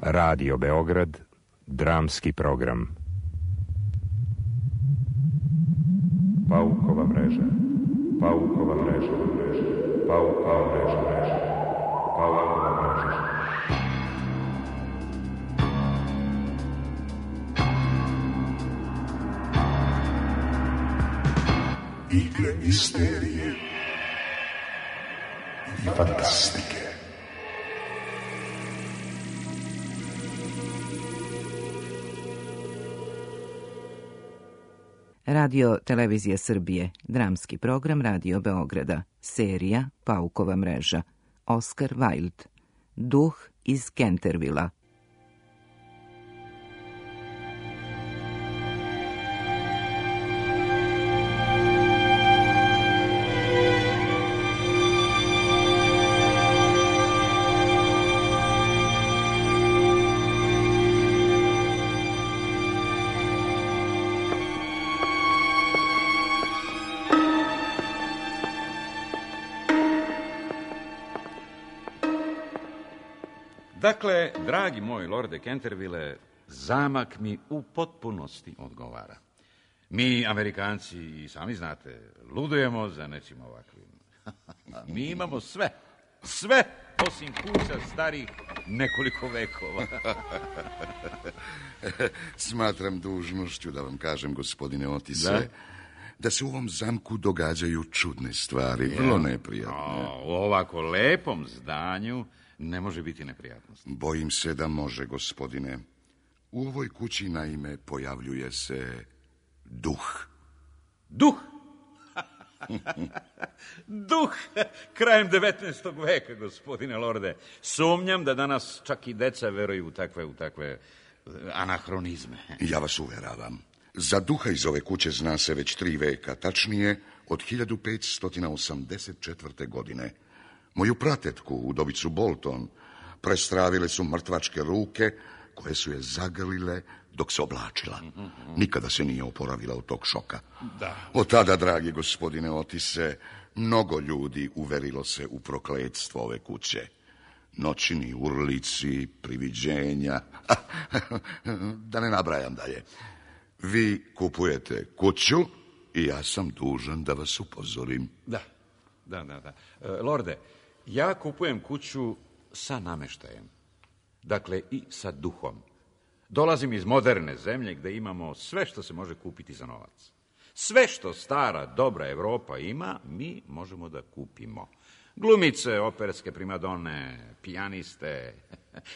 Radio Beograd, dramski program. Paukova mreža, Paukova mreža, Paukova mreža, Paukova mreža. Igre misterije i fantastike. Radio Televizija Srbije, dramski program Radio Beograda, serija Paukova mreža, Oscar Wilde, Duh iz Kentervila. Dakle, dragi moj lorde Kenterville, zamak mi u potpunosti odgovara. Mi, Amerikanci, i sami znate, ludujemo za nečim ovakvim. Mi imamo sve, osim kuća starih nekoliko vekova. Smatram dužnošću da vam kažem, gospodine Otise, da se u ovom zamku događaju čudne stvari, vrlo neprijatne. U ovako lepom zdanju ne može biti neprijatnost. Bojim se da može, gospodine. U ovoj kući, naime, pojavljuje se duh. Duh? Duh krajem 19. veka, gospodine lorde. Sumnjam da danas čak i deca veruju u takve anahronizme. Ja vas uveravam. Za duha iz ove kuće zna se već 3 veka, tačnije od 1584. godine. Moju pratetku, udovicu Bolton, prestravile su mrtvačke ruke koje su je zagrlile dok se oblačila. Nikada se nije oporavila od tog šoka. Da. Od tada, dragi gospodine Otise, mnogo ljudi uverilo se u prokletstvo ove kuće. Noćni urlici, priviđenja, da ne nabrajam dalje. Vi kupujete kuću i ja sam dužan da vas upozorim. Da. Lorde, ja kupujem kuću sa nameštajem. Dakle, i sa duhom. Dolazim iz moderne zemlje gde imamo sve što se može kupiti za novac. Sve što stara, dobra Evropa ima, mi možemo da kupimo. Glumice, operske primadone, pijaniste.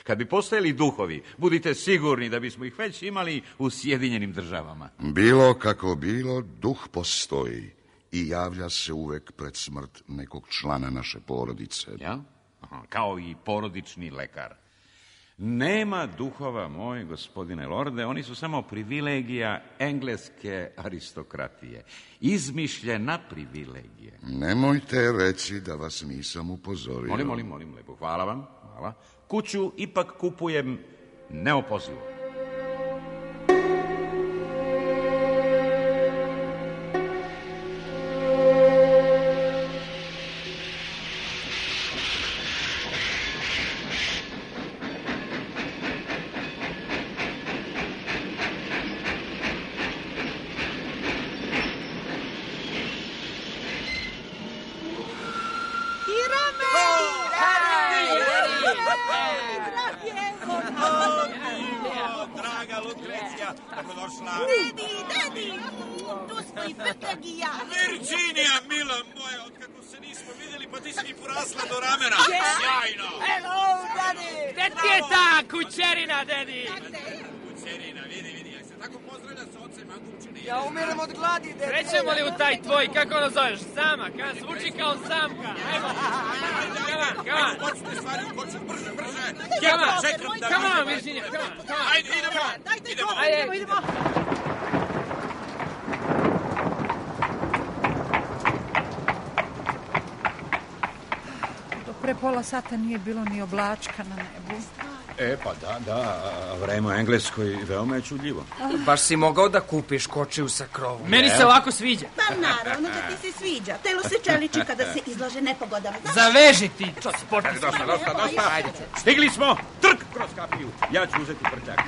Kad bi postojali duhovi, budite sigurni da bismo ih već imali u Sjedinjenim Državama. Bilo kako bilo, duh postoji i javlja se uvek pred smrt nekog člana naše porodice. Ja? Aha, kao i porodični lekar. Nema duhova, moj gospodine lorde, oni su samo privilegija engleske aristokratije. Izmišljena privilegija. Nemojte reći da vas nisam upozorio. Molim, lepo. Hvala vam. Hvala. Kuću ipak kupujem neopozivo. Dedi, tu smo i Petrag i ja. Virginija, mila moja, otkako se nismo vidjeli, pa ti si mi porasla do ramena. Sjajno. Hello, Dedi. Gde ti je ta kućerina, Dedi? Kućerina, vidi, jak se tako pozdravlja s ocem, a kupčine. Ja umiram od gladi, Dedi. Krećemo li u taj tvoj, kako ono zoveš, zamak, a? Zvuči kao zamka. Ajmo. Come on. Počne stvari, brže. Come on, Virginija, come on. Ajde, idemo. Pre pola sata nije bilo ni oblačka na nebu. Pa da, vreme u Engleskoj veoma je čudljivo. Baš si mogao da kupiš kočiju sa krovom. Meni se ovako sviđa. Pa naravno da ti se sviđa. Telo se čeliči kada se izlaže nepogodama. Zaveži ti, Stigli smo! Crk kroz kapiju. Ja ću uzeti prćak.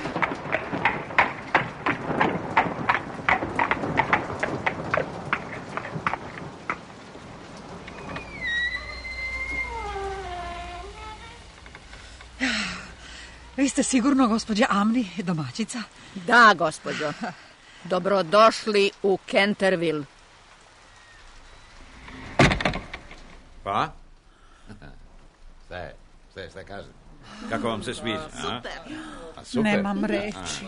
Vi ste sigurno gospođa Amni, domaćica? Da, gospođo. Dobrodošli u Canterville. Pa? Šta kaže? Kako vam se sviđa? Super. Super. Nemam reći.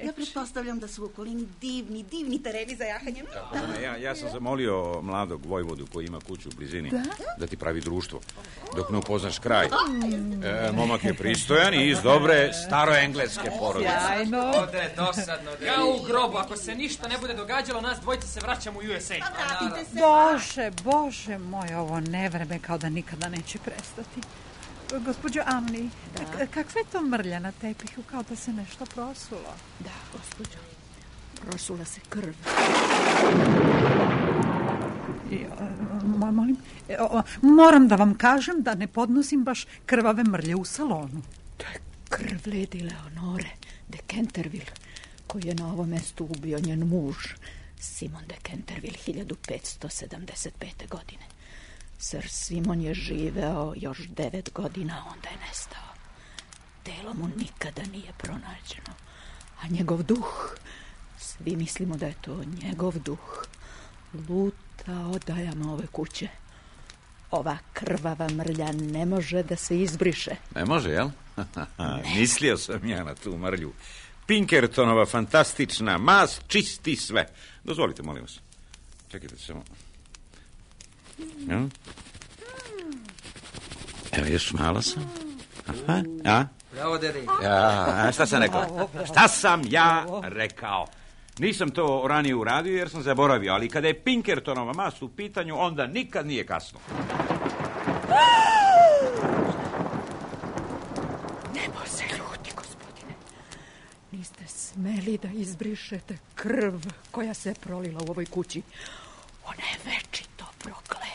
Ja pretpostavljam da su u okolini divni tereni za jahanje. Ja sam zamolio mladog vojvodu koji ima kuću u blizini da ti pravi društvo, dok ne upoznaš kraj. Momak je pristojan i iz dobre staroengleske porodice. Sjajno. Ode, dosadno. Ja u grobu, ako se ništa ne bude događalo, nas dvojica se vraćamo u USA. Vratite se. Bože moj, ovo nevreme kao da nikada neće prestati. Gospođo Amni, kakva je to mrlja na tepihu, kao da se nešto prosulo? Da, gospođo. Prosula se krv. Moram da vam kažem da ne podnosim baš krvave mrlje u salonu. To je krv Lady Leonore de Canterville, koji je na ovom mestu ubio njen muž, Simon de Canterville, 1575. godine. Sir Simon je živeo još 9 godina, onda je nestao. Telo mu nikada nije pronađeno. A njegov duh, svi mislimo da je to njegov duh, luta odajama ove kuće. Ova krvava mrlja ne može da se izbriše. Ne može, jel? Mislio sam ja na tu mrlju. Pinkertonova fantastična mast čisti sve. Dozvolite, molim vas. Čekajte samo. Evo, još malo sam. Bravo, dedi. Šta sam rekao? Šta sam ja rekao? Nisam to ranije uradio jer sam zaboravio, ali kada je Pinkertonova mast u pitanju, onda nikad nije kasno. Nebo se ljuti, gospodine. Niste smeli da izbrišete krv koja se prolila u ovoj kući. Ona je večito prokletstvo.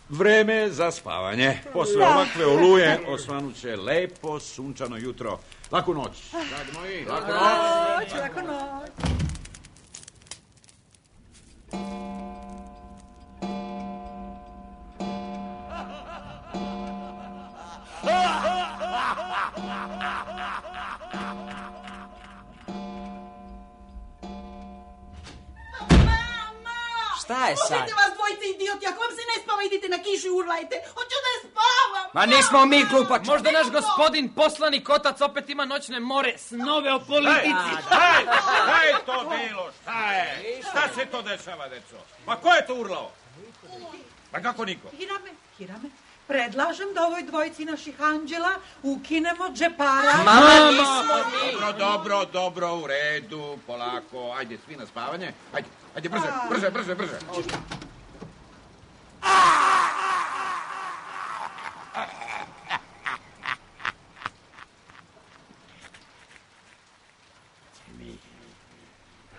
Vreme za spavanje. Posle ovakve oluje osvanuće lepo sunčano jutro. Laku noć. Dragi moji, laku noć. Laku noć. Šta je sad? Pustite vas dvojice idioti, ako vam se ne spava, idite na kišu i urlajte. Hoću da spavam. Ma nismo mi glupači. Možda naš gospodin poslanik otac opet ima noćne more, snove o politici. Šta je to bilo? Šta je? Šta se to dešava, deco? Ma ko je to urlao? Pa kako niko? Hirame, predlažem da ovoj dvojici naših anđela ukinemo džepara. Mama, nismo mi. Dobro, u redu, polako. Ajde, svi na spavanje. Ajde, brže.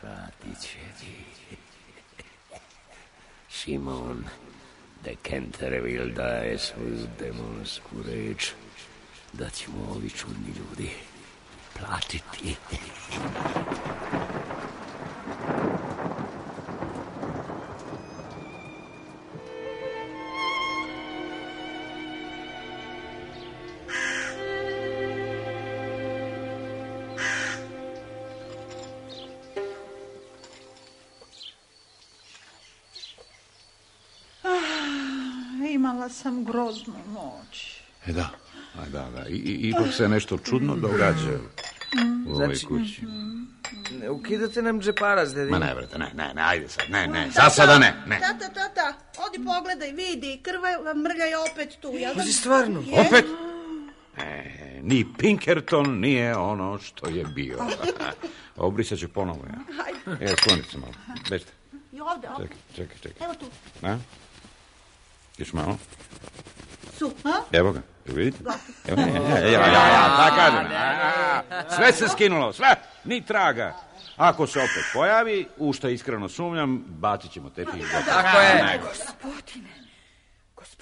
Platit će ti Simon de Canterville daje svoju demonsku reč da će mu ovi čudni ljudi platiti. Imala sam groznu noć. Da. Ipak se nešto čudno događa u ovoj kući. Ne ukidate nam džeparac, dedi. Ma ne, brate, ne, ajde sad, ne, za sada ne. Tata, odi pogledaj, vidi, krva mrlja je opet tu, jel da? Pazi, stvarno. Opet? Ni Pinkerton nije ono što je bio. Obrisat ću ponovo, ja. Evo, sklonite se malo, bežite. I ovde. Čekaj. Evo tu. Još malo. Su, ha? Evo ga, vidite? Ja, kažem. Sve se skinulo, sve, ni traga. Ako se opet pojavi, u što iskreno sumnjam, bacit ćemo tepih. Tako je.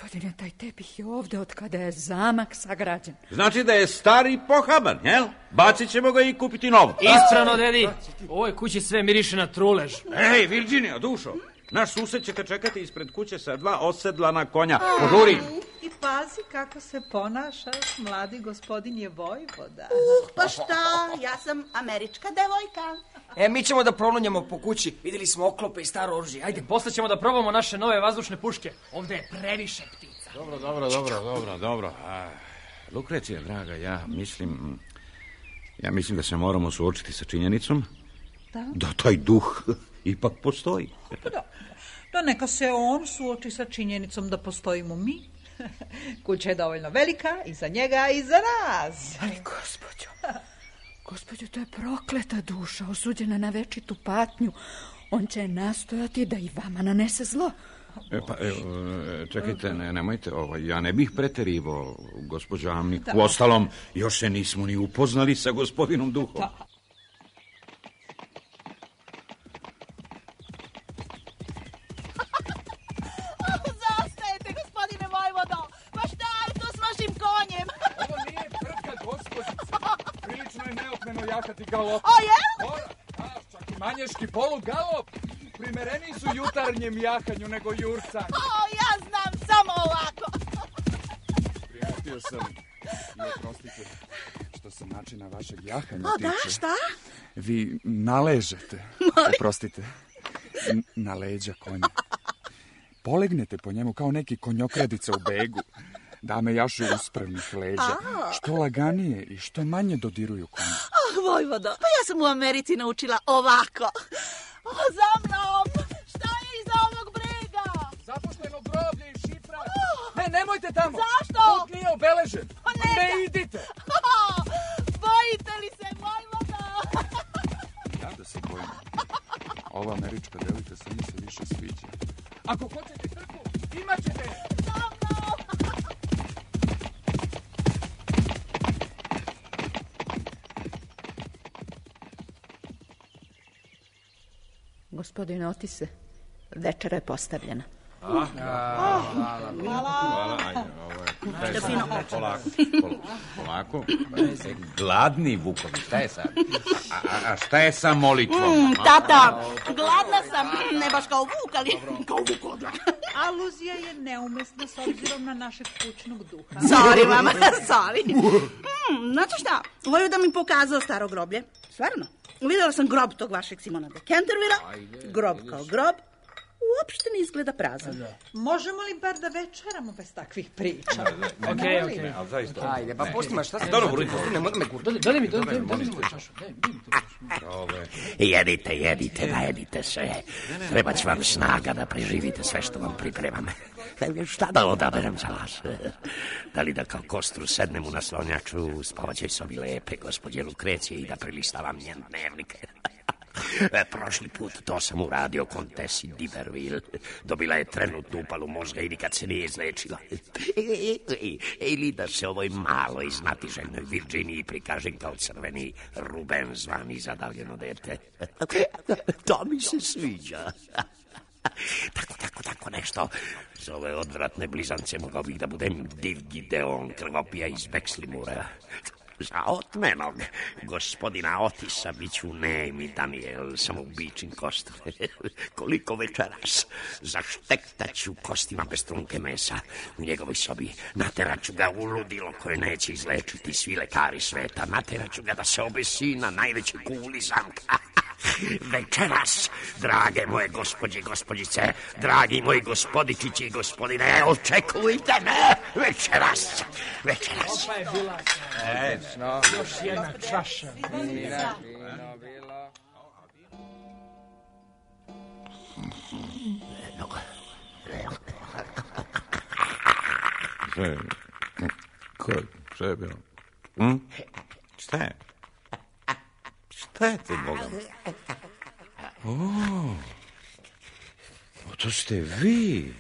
Gospodine, taj tepih je ovde od kada je zamak sagrađen. Znači da je star i pohaban, jel? Bacit ćemo ga i kupiti novo. Ispravno, dedi. U ovoj kući sve miriše na trulež. Ej, Virginija, dušo. Naš sused će te čekati ispred kuće sa 2 osedlana konja. Požuri. I pazi kako se ponašaš, mladi gospodin je vojvoda. Pa šta, ja sam američka devojka. Mi ćemo da prolunjamo po kući. Vidjeli smo oklope i staro oružje. Ajde. Posle ćemo da probamo naše nove vazdušne puške. Ovde je previše ptica. Dobro. Lukrecija, draga, ja mislim da se moramo suočiti sa činjenicom da taj duh ipak postoji. Da neka se on suoči sa činjenicom da postojimo mi. Kuća je dovoljno velika i za njega i za nas. Ali gospođo, to je prokleta duša, osuđena na večitu patnju. On će nastojati da i vama nanese zlo. Čekajte, nemojte, ja ne bih preterivao, gospođo Amni. Uostalom, još se nismo ni upoznali sa gospodinom duhom. Zastajete, gospodine vojvodo. Pa šta je to s vašim konjem? Ovo nije trka, gospođice. Prilično je neopmeno jahati galop. O, jel? Čak i manješki polugalop. Primereniji su jutarnjem jahanju nego jurcanju. Ja znam samo ovako. Primetio sam i oprostite što se načina vašeg jahanja tiče. Da, šta? Vi naležete, oprostite, na leđa konja. Polegnete po njemu kao neki konjokradica u begu. Dame jašu uspravnih leđa. Što laganije i što manje dodiruju konja. Vojvodo, pa ja sam u Americi naučila ovako. Za mnom! Šta je iza ovog brega? Zapušteno groblje i šifra. Nemojte tamo! Zašto? Put nije obeležen. Ne idite! Bojite li se, vojvodo? Ja da se bojim. Ova američka devojka sve mi se više sviđa. Ako hoćete trku, imat ćete je! Za mnom! Gospodine Otise, večera je postavljena. Hvala. Polako. Gladni vukovi, šta je sad? A šta je sa molitvom? Tata, gladna sam, ne baš kao vuk, ali kao vuk. Aluzija je neumesna s obzirom na našeg kućnog duha. Sorry, mama, sorry. Znate šta, volio da mi pokazao staro groblje. Stvarno. Vidjela sam grob tog vašeg Simona de Cantervilla. Grob kao grob. Uopšte ne izgleda prazan. Možemo li bar da večeramo bez takvih priča? Okej. Ali zaista. Ajde, pa pusti ma, šta se... Dobro, budite. Nemoj me gurti. Dali mi čašu. Jedite, najedite se. Treba će vam snaga da preživite sve što vam pripremam. Šta da odaberem za vas? Da li da kao kostru sednem u naslonjaču u spavaćoj sobi lepe gospođe Lukrecije i da prelistavam njen dnevnik? Prošli put to sam uradio kontesi D'Iberville. Dobila je trenutnu upalu mozga i nikad se nije izlečila. Ili da se ovoj maloj znatiželjnoj Virginiji prikažem kao crveni Ruben zvani zadavljeno dete. To mi se sviđa. Tako nešto. Za ove odvratne blizance mogao bih da budem div Gideon krvopija iz Bexlimura. Za otmenog gospodina Otisa bit ću nemi Daniel samoubičin kost. Koliko večeras zaštektaću kostima bez trunke mesa u njegovoj sobi. Nateraću ga u ludilo koje neće izlečiti svi lekari sveta. Nateraću ga da se obesi na najvećoj kuli zamka. Večeras, drage moje gospođe i gospođice, dragi moji gospodičići i gospodine, očekujte me večeras. Opa je bila. Još jedna čaša. Šta je bilo? Šta je? Šta je to, Boga? To ste vi.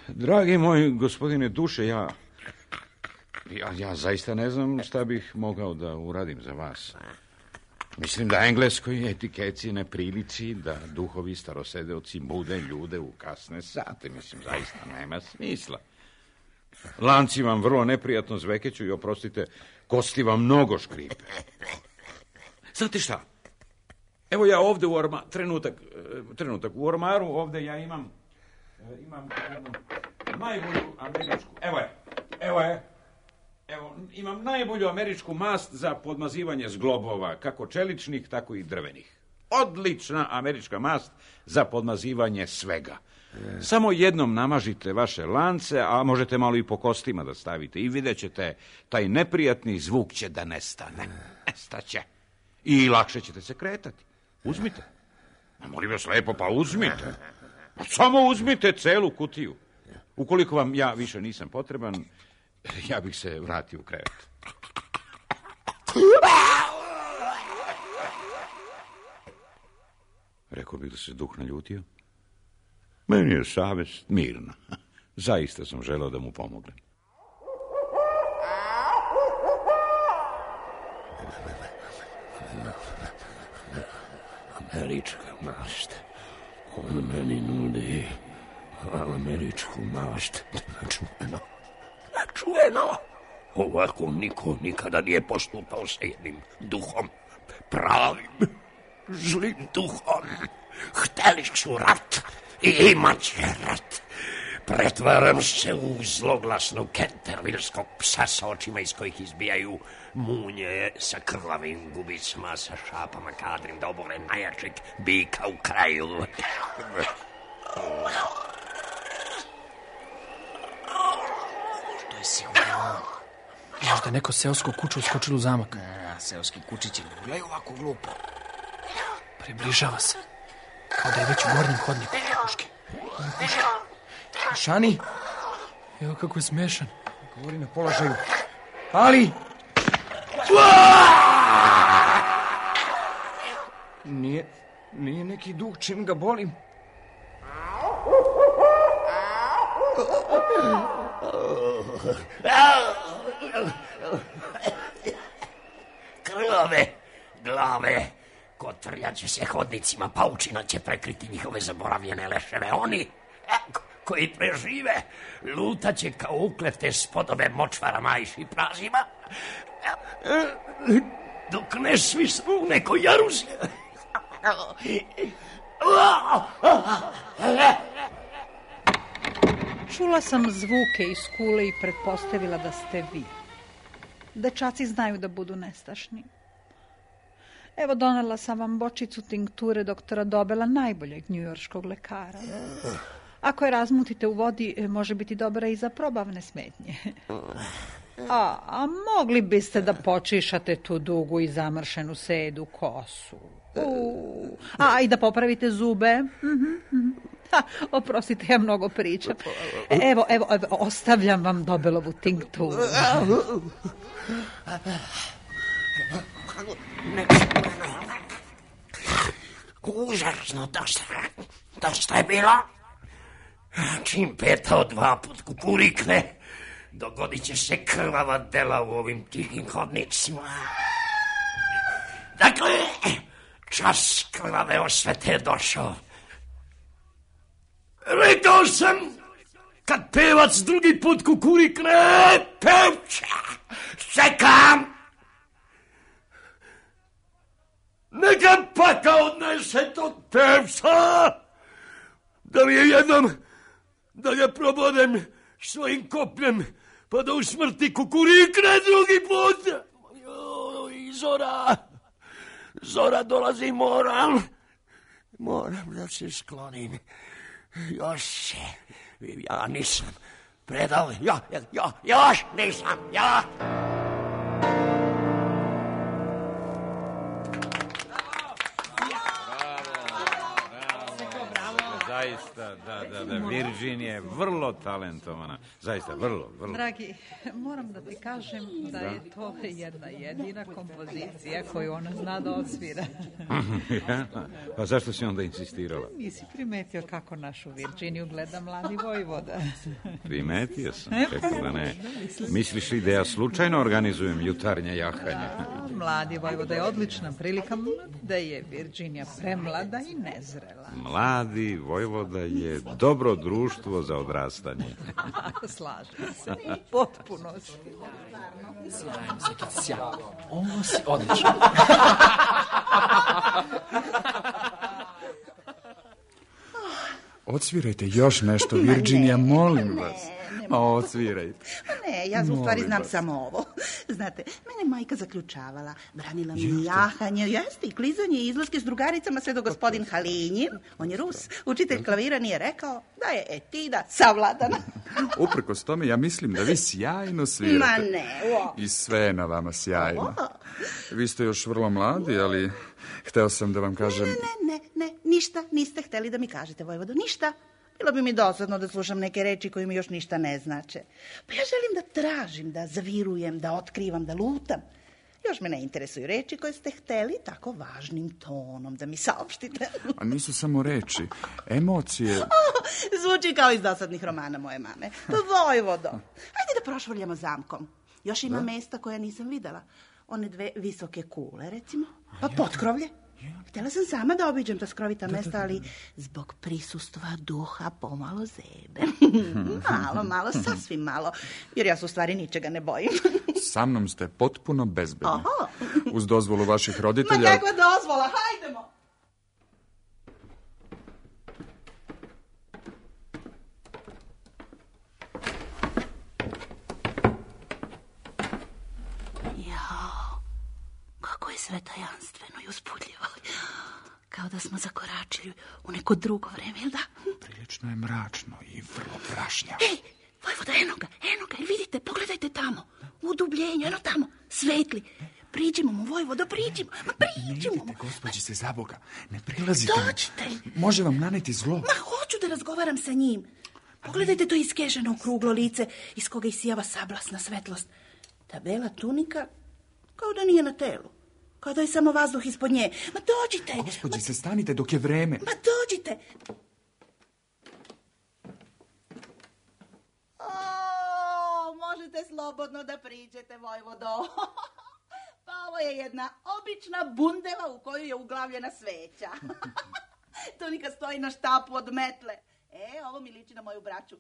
Dragi moj gospodine duše, ja zaista ne znam šta bih mogao da uradim za vas. Mislim da engleskoj etikeci ne priliči da duhovi starosedeoci bude ljude u kasne sate. Mislim, zaista nema smisla. Lanci vam vrlo neprijatno zvekeću i, oprostite, kosti vam mnogo škripe. Znate šta? Evo ja ovde u ormaru, trenutak, u ormaru ovde ja imam jednu najbolju američku, evo, imam najbolju američku mast za podmazivanje zglobova, kako čeličnih, tako i drvenih. Odlična američka mast za podmazivanje svega. Samo jednom namažite vaše lance, a možete malo i po kostima da stavite i vidjet ćete, taj neprijatni zvuk će da nestane. Nestaće. I lakše ćete se kretati. Uzmite. Molim vas lepo, pa uzmite. Samo uzmite celu kutiju. Ukoliko vam ja više nisam potreban, ja bih se vratio u krevet. Rekao bih da se duh naljutio. Meni je savest mirna. Zaista sam želeo da mu pomognem. Američka mast. On meni nudi američku mast. Čujeno. Ovako niko nikada nije postupao sa jednim duhom. Pravim, zlim duhom. Hteli su rat i imat će rat. Pretvaram se u zloglasnog kentervilskog psa sa očima iz kojih izbijaju munje, sa krvavim gubicama, sa šapama kadrim da obore najjačeg bika u kraju. To je sigurno. Možda neko seosko kuće uskočilo u zamak. Seoski kučići ne gledaju ovako glupo. Približava se. Kao da je već u gornjem hodniku. Puške. Šani? Evo kako je smešan. Govori na položaju. Ali! Nije neki duh, čim ga bolim. Glave, kotrljat će se hodnicima, paučina će prekriti njihove zaboravljene leševe. Oni koji prežive, lutaće kao uklete spodobe močvarama i šiprazima, dok ne svisnu u nekoj jaruzi. Čula sam zvuke iz kule i pretpostavila da ste vi. Dečaci znaju da budu nestašni. Evo, donela sam vam bočicu tinkture doktora Dobela, najboljeg njujorškog lekara. Ako je razmutite u vodi, može biti dobra i za probavne smetnje. A mogli biste da počišate tu dugu i zamršenu sedu kosu. I da popravite zube. Oprostite, ja mnogo pričam. Evo, ostavljam vam Dobelovu tinkturu. Užasno, dosta je bilo. Čim peta od 2 put kukurikne, dogodit će se krvava dela u ovim tihim hodnicima. Dakle, čas krvave osvete je došao. Rekao sam, kad pevac drugi put kukurikne, pevče, čekam. Neka paka odnese tog pevca, da mi je jednom, da ga probodem svojim kopljem, pa da u smrti kukurikne drugi put. I Zora dolazi, moram da se sklonim. Još ja nisam predao, još nisam, zaista, da. Virginia je vrlo talentovana. Zaista, vrlo. Dragi, moram da ti kažem da je to jedna jedina kompozicija koju ona zna da odsvira. Pa zašto si onda insistirala? Nisi primetio kako našu Virginiju gleda mladi vojvoda. Primetio sam, kako da ne. Misliš li da ja slučajno organizujem jutarnje jahanje? Mladi vojvoda je odlična prilika, da je Virginija premlada i nezrela. Mladi vojvoda je dobro društvo za odrastanje. Slažem se, potpuno si. Sjajno. Ovo si odlično. Odsvirajte još nešto, Virginija, molim vas. Odsvirajte. Ne, ja u stvari znam samo ovo. Znate, mene majka zaključavala, branila mi jahanje, jeste i klizanje i izlaske s drugaricama sve do gospodin Halinjin, on je Rus, učitelj klavira, nije rekao da je etida savladana. Uprkos tome, ja mislim da vi sjajno svirate. Ma ne, I sve je na vama sjajno. Vi ste još vrlo mladi, ali hteo sam da vam kažem... Ne, ništa niste hteli da mi kažete, vojvodo, ništa. Bilo bi mi dosadno da slušam neke reči koje mi još ništa ne znače. Pa ja želim da tražim, da zavirujem, da otkrivam, da lutam. Još me ne interesuju reči koje ste hteli tako važnim tonom da mi saopštite. A nisu samo reči, emocije... Zvuči kao iz dosadnih romana moje mame. Pa vojvodo, ajde da prošvrljamo zamkom. Još ima mesta koja nisam videla. One 2 visoke kule, recimo. Pa potkrovlje. Htjela sam sama da obiđem ta skrovita mesta, ali zbog prisustva duha pomalo zebe. Malo, sasvim malo, jer ja se u stvari ničega ne bojim. Sa mnom ste potpuno bezbedni. Uz dozvolu vaših roditelja... Ma kakva dozvola, hajdemo! Kako je sve tajanstveno i uzbudljivo. Kao da smo zakoračili u neko drugo vreme, jel da? Prilično je mračno i vrlo prašnjavo. Ej, vojvoda, eno ga, vidite, pogledajte tamo. U udubljenju, eno tamo, svetli. Priđimo mu, vojvodo, priđimo. Ne idite, gospođice, za Boga. Ne prilazite. Dođite. Može vam naneti zlo. Ma hoću da razgovaram sa njim. Pogledajte to iskeženo okruglo lice iz koga isijava sablasna svetlost. Ta bela tunika kao da nije na telu. Kao da je samo vazduh ispod nje. Ma dođite. Gospođice, stanite dok je vreme. Ma dođite. Možete slobodno da priđete, vojvodo. Pa ovo je jedna obična bundeva u koju je uglavljena sveća. Tunika stoji na štapu od metle. Ovo mi liči na moju braću.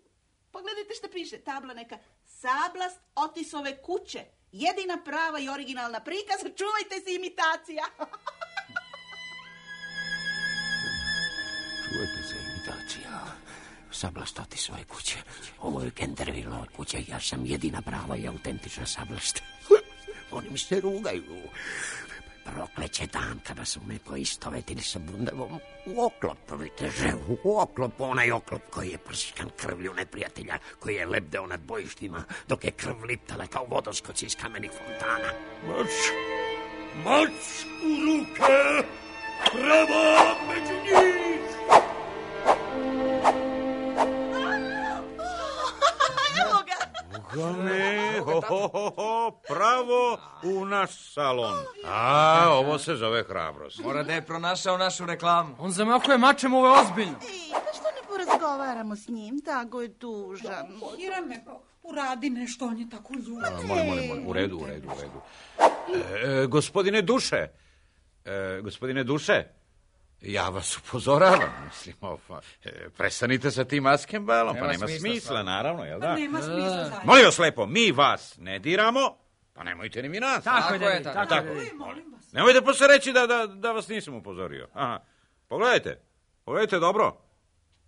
Pogledajte što piše, tabla neka. Sablast Otisove kuće. Jedina prava i originalna prikaz, čuvajte se imitacija. Čuvajte se imitacija. Sablast Otisove kuće. Ovo je Cantervillova kuća, ja sam jedina prava i autentična sablast. Oni mi se rugaju. Prokleće dan kada su me poistovetili sa bundevom. U oklop, viteže, u oklop, onaj oklop koji je prsikan krvlju neprijatelja, koji je lebdeo nad bojištima, dok je krv liptala kao vodoskoci iz kamenih fontana. Mač u ruke, prava među njih! Evo ga! Pravo u naš salon. Ovo se zove hrabrost. Mora da je pronašao našu reklamu. On zamahuje mačem, ovo je ozbiljno. Pa što ne porazgovaramo s njim? Tako je tužan. Irane, uradi nešto, on je tako ljud. Molim, u redu. Gospodine Duše, ja vas upozoravam, mislim, prestanite sa tim Askenbalom, pa nema smisla, naravno, jel da? Pa nema smisla. Molim vas lepo, mi vas ne diramo, pa nemojte ni mi nas. Tako je. Nemojte posle reći da vas nisam upozorio. Pogledajte dobro.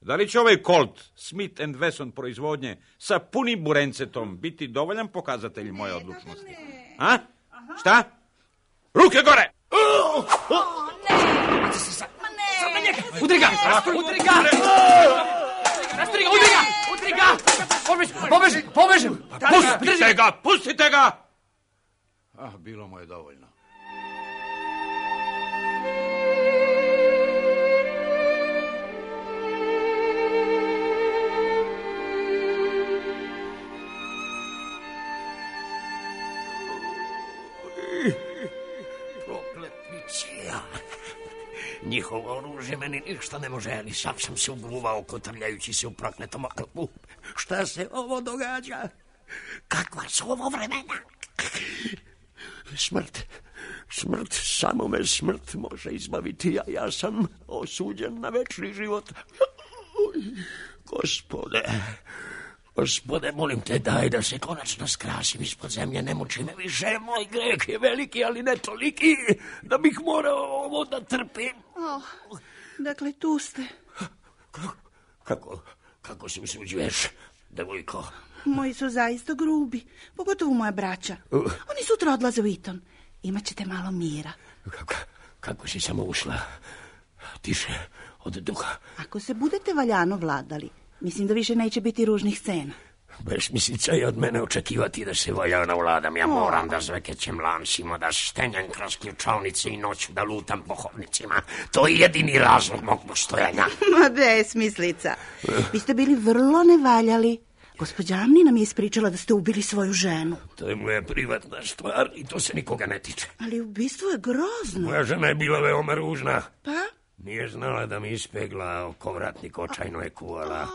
Da li će ovaj Colt Smith & Wesson proizvodnje sa punim burencetom biti dovoljan pokazatelj moje odlučnosti? Šta? Ruke gore! Udri ga! Pobeži! Pustite ga! Bilo mu je dovoljno. Prokletnici, ja. Njihovo oružje meni ništa ne može, ali sam se uguvao kotrljajući se u prokletom oklopu. Šta se ovo događa? Kakva su ovo vremena? Smrt, samo me smrt može izbaviti, a ja sam osuđen na večni život. Gospode, molim te, daj da se konačno skrasim ispod zemlje, ne muči me više, moj greh je veliki, ali ne toliki, da bih morao ovo da trpim. Dakle, tu ste. Kako se usuđuješ, devojko? Moji su zaista grubi, pogotovo moja braća. Oni sutra odlaze u Eton. Imaćete malo mira. Kako si samo ušla? Tiše od duha. Ako se budete valjano vladali, mislim da više neće biti ružnih scena. Besmislica je od mene očekivati da se valjano vladam. Ja moram da zvekećem lancima, da stenjem kroz ključavnice i noću da lutam po hodnicima. To je jedini razlog mog postojanja. Ma besmislica. Vi ste bili vrlo nevaljali. Gospođa Amni nam je ispričala da ste ubili svoju ženu. To je moja privatna stvar i to se nikoga ne tiče. Ali ubistvo je grozno. Moja žena je bila veoma ružna. Pa? Nije znala da mi ispegla, okovratnik očajno je kuvala.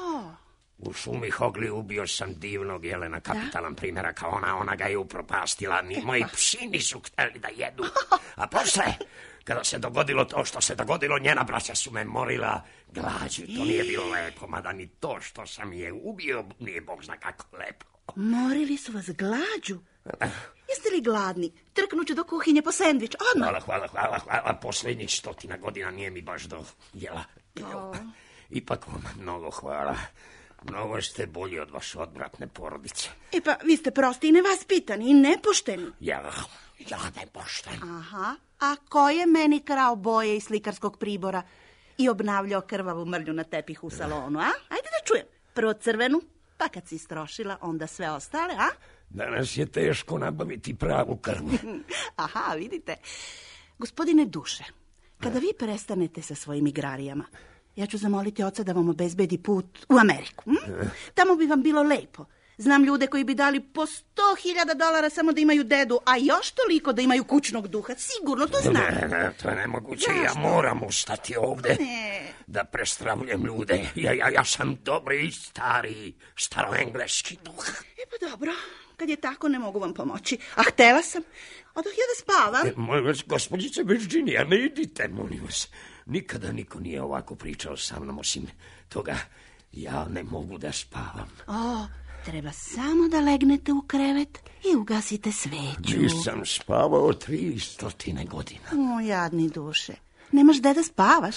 U šumi Hogli ubio sam divnog jelena, kapitalan primjera kao ona ga je upropastila. Ni moji psi nisu hteli da jedu. A posle, kada se dogodilo to što se dogodilo, njena braća su me morila glađu. To nije bilo lepo, mada ni to što sam je ubio nije bog zna kako lepo. Morili su vas glađu? Jeste li gladni? Trknuću do kuhinje po sendvič, odmah. Hvala. Posljednjih 100 godina nije mi baš do jela. Ipak vam mnogo hvala. Mnogo ste bolji od vaše odvratne porodice. Pa vi ste prosti i nevaspitani i nepošteni. Ja nepošten. Aha, a ko je meni krao boje iz slikarskog pribora i obnavljao krvavu mrlju na tepihu u salonu, a? Ajde da čujem. Prvo crvenu, pa kad si istrošila, onda sve ostale, a? Danas je teško nabaviti pravu krvu. Aha, vidite. Gospodine Duše, kada vi prestanete sa svojim igrarijama, ja ću zamoliti oca da vam obezbedi put u Ameriku. Tamo bi vam bilo lepo. Znam ljude koji bi dali po $100,000 samo da imaju dedu, a još toliko da imaju kućnog duha. Sigurno, to znam. Ne, to je nemoguće. Ja moram ustati ovde da prestravljam ljude. Ja sam dobri, staroengleski duh. Pa dobro, kad je tako ne mogu vam pomoći. A htela sam. Odoh ja da spavam. Molim vas, gospođice Virginia, ne idite, molim vas. Nikada niko nije ovako pričao sa mnom, osim toga ja ne mogu da spavam. Treba samo da legnete u krevet i ugasite sveću. Nisam spavao 300 godina. Jadni Duše. Nemaš gde da spavaš?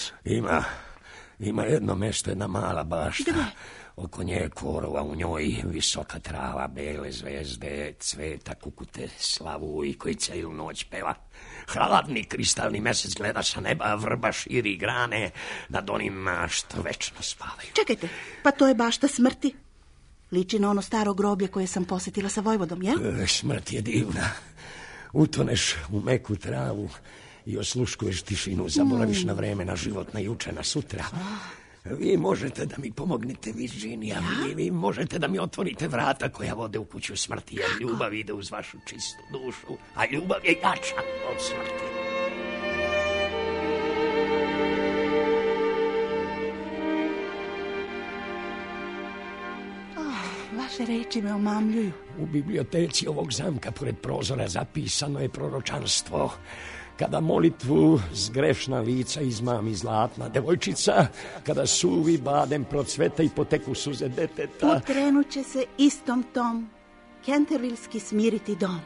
Ima jedno mesto, jedna mala bašta. Gde? Oko nje je korova, u njoj visoka trava, bele zvezde, cveta, kukute, slavu i koji celu noć peva. Hladni kristalni mesec gleda sa neba, a vrba širi grane nad onima što večno spavaju. Čekajte, pa to je bašta smrti. Liči na ono staro groblje koje sam posjetila sa Vojvodom, jel? Smrt je divna. Utoneš u meku travu i osluškuješ tišinu, zaboraviš na vreme, na život, na juče, na sutra. Vi možete da mi pomognete, Virginia. Vi možete da mi otvorite vrata koja vode u kuću smrti, jer ljubav ide uz vašu čistu dušu, a ljubav je jača od smrti. Vaše reči me omamljuju. U biblioteci ovog zamka pored prozora zapisano je proročanstvo. Kada molitvu zgrešna lica izmami zlatna devojčica, kada suvi badem procveta i poteku suze deteta. Pokrenut će se istom tom Cantervilski smiriti dom.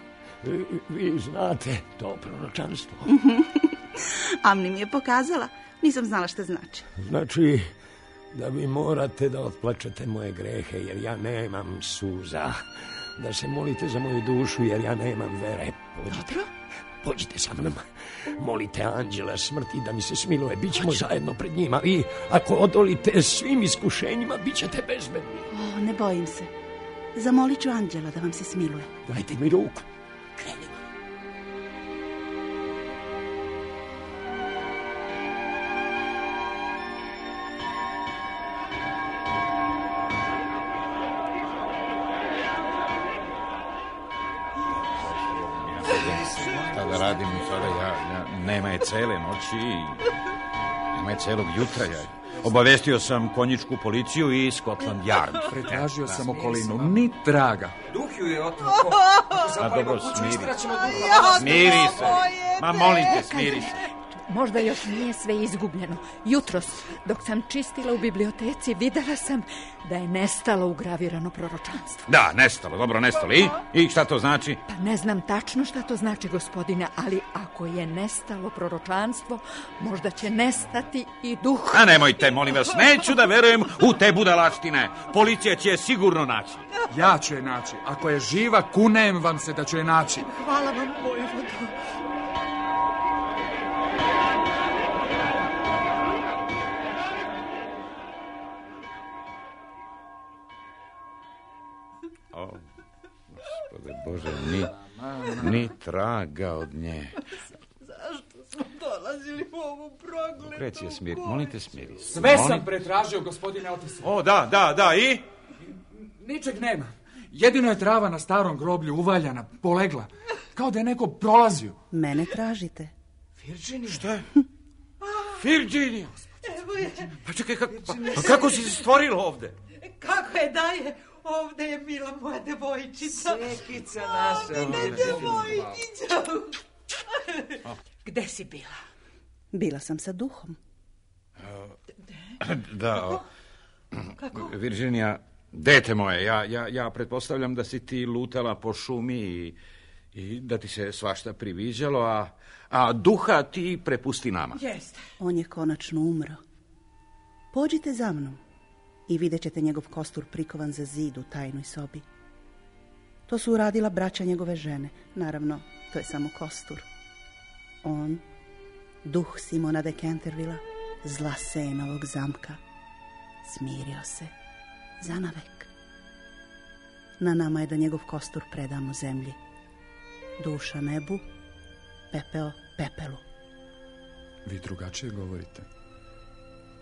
Vi znate to proročanstvo? Amni mi je pokazala. Nisam znala šta znači. Znači da vi morate da otplačete moje grehe, jer ja nemam suza. Da se molite za moju dušu, jer ja nemam vere. Pođite sa mnom. Molite anđela smrti da mi se smiluje. Bićemo zajedno pred njima. I ako odolite svim iskušenjima, bit ćete bezbedni. Ne bojim se. Zamolit ću anđela da vam se smiluje. Dajte mi ruku. Krenimo. Šta da radim? sada nema je cele noći, nema je celog jutra. Obavestio sam konjičku policiju i Scotland Yard. Pretražio sam okolinu, ni traga. Duh ju je otrao. A dobro, smiri se. Ma molim te, smiri se. Možda još nije sve izgubljeno. Jutros, dok sam čistila u biblioteci, videla sam da je nestalo ugravirano proročanstvo. Da, nestalo, dobro, nestalo. I šta to znači? Pa ne znam tačno šta to znači, gospodine, ali ako je nestalo proročanstvo, možda će nestati i duh. A nemojte, molim vas, neću da verujem u te budalaštine. Policija će je sigurno naći. Ja ću je naći. Ako je živa, kunem vam se da ću je naći. Hvala vam, vojvodo. Gospode Bože, ni traga od nje. Zašto smo dolazili u ovu progledu? Reci je, smiri, molim te, smiri. Sve sam pretražio, gospodine Otise. O, da, i? Ničeg nema. Jedino je trava na starom groblju uvaljana, polegla. Kao da je neko prolazio. Mene tražite. Virginija? Šta je? Virginija! Pa čekaj, kako si se stvorila ovde? Kako je da je? Ovde je bila moja devojčica. Sekica naša. Moja devojčica. Gde si bila? Bila sam sa duhom. Da. Kako? Virginija, dete moje, ja pretpostavljam da si ti lutala po šumi i da ti se svašta priviđalo, a duha ti prepusti nama. Jeste. On je konačno umro. Pođite za mnom i vidjet ćete njegov kostur prikovan za zid u tajnoj sobi. To su uradila braća njegove žene. Naravno, to je samo kostur. On, duh Simona de Cantervilla, zla Senovog zamka, smirio se zanavek. Na nama je da njegov kostur predamo zemlji. Duša nebu, pepeo pepelu. Vi drugačije govorite.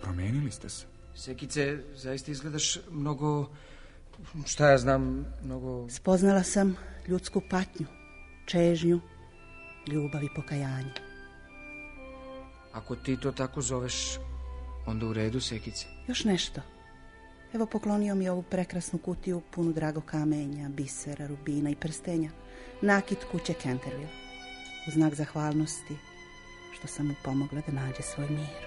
Promenili ste se. Sekice, zaista izgledaš mnogo, šta ja znam, mnogo... Spoznala sam ljudsku patnju, čežnju, ljubav i pokajanje. Ako ti to tako zoveš, onda u redu, Sekice. Još nešto. Evo, poklonio mi ovu prekrasnu kutiju punu drago kamenja, bisera, rubina i prstenja. Nakit kuće Canterville. U znak zahvalnosti što sam mu pomogla da nađe svoj mir.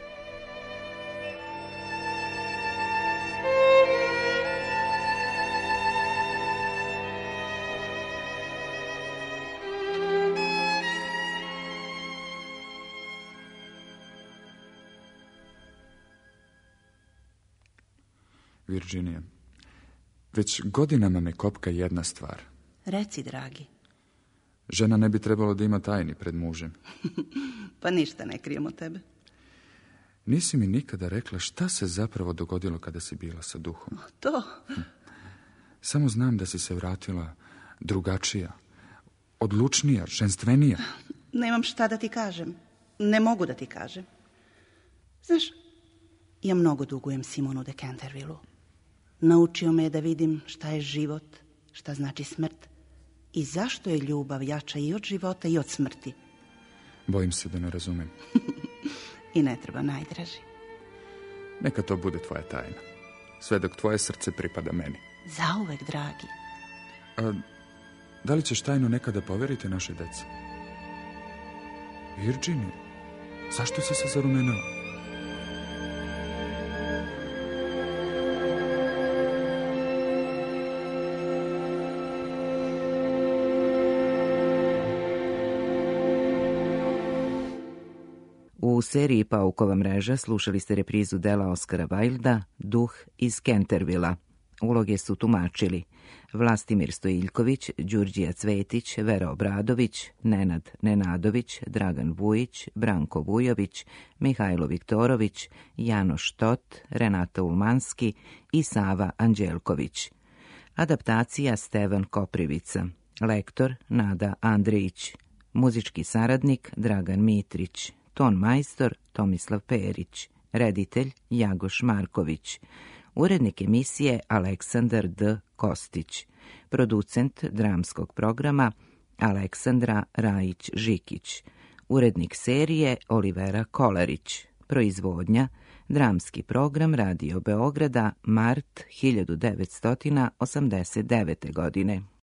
Virginija, već godinama me kopka jedna stvar. Reci, dragi. Žena ne bi trebalo da ima tajni pred mužem. Pa ništa ne krijem od tebe. Nisi mi nikada rekla šta se zapravo dogodilo kada si bila sa duhom. To? Samo znam da si se vratila drugačija, odlučnija, ženstvenija. Nemam šta da ti kažem. Ne mogu da ti kažem. Znaš, ja mnogo dugujem Simonu de Cantervillu. Naučio me je da vidim šta je život, šta znači smrt i zašto je ljubav jača i od života i od smrti. Bojim se da ne razumem. I ne treba, najdraži. Neka to bude tvoja tajna. Sve dok tvoje srce pripada meni. Zauvek, dragi. A da li ćeš tajnu nekada poveriti naše deci? Virginija, zašto si se zarumenila? U seriji Paukova mreža slušali ste reprizu dela Oskara Wilda Duh iz Cantervilla. Uloge su tumačili Vlastimir Stojiljković, Đurđija Cvetić, Vera Obradović, Nenad Nenadović, Dragan Vujić, Branko Vujović, Mihajlo Viktorović, Janoš Tot, Renata Ulmanski i Sava Anđelković. Adaptacija Stevan Koprivica. Lektor Nada Andrić. Muzički saradnik Dragan Mitrić. Ton majstor Tomislav Perić. Reditelj Jagoš Marković. Urednik emisije Aleksandar D. Kostić. Producent dramskog programa Aleksandra Rajić-Žikić. Urednik serije Olivera Kolarić. Proizvodnja Dramski program Radio Beograda, mart 1989. godine.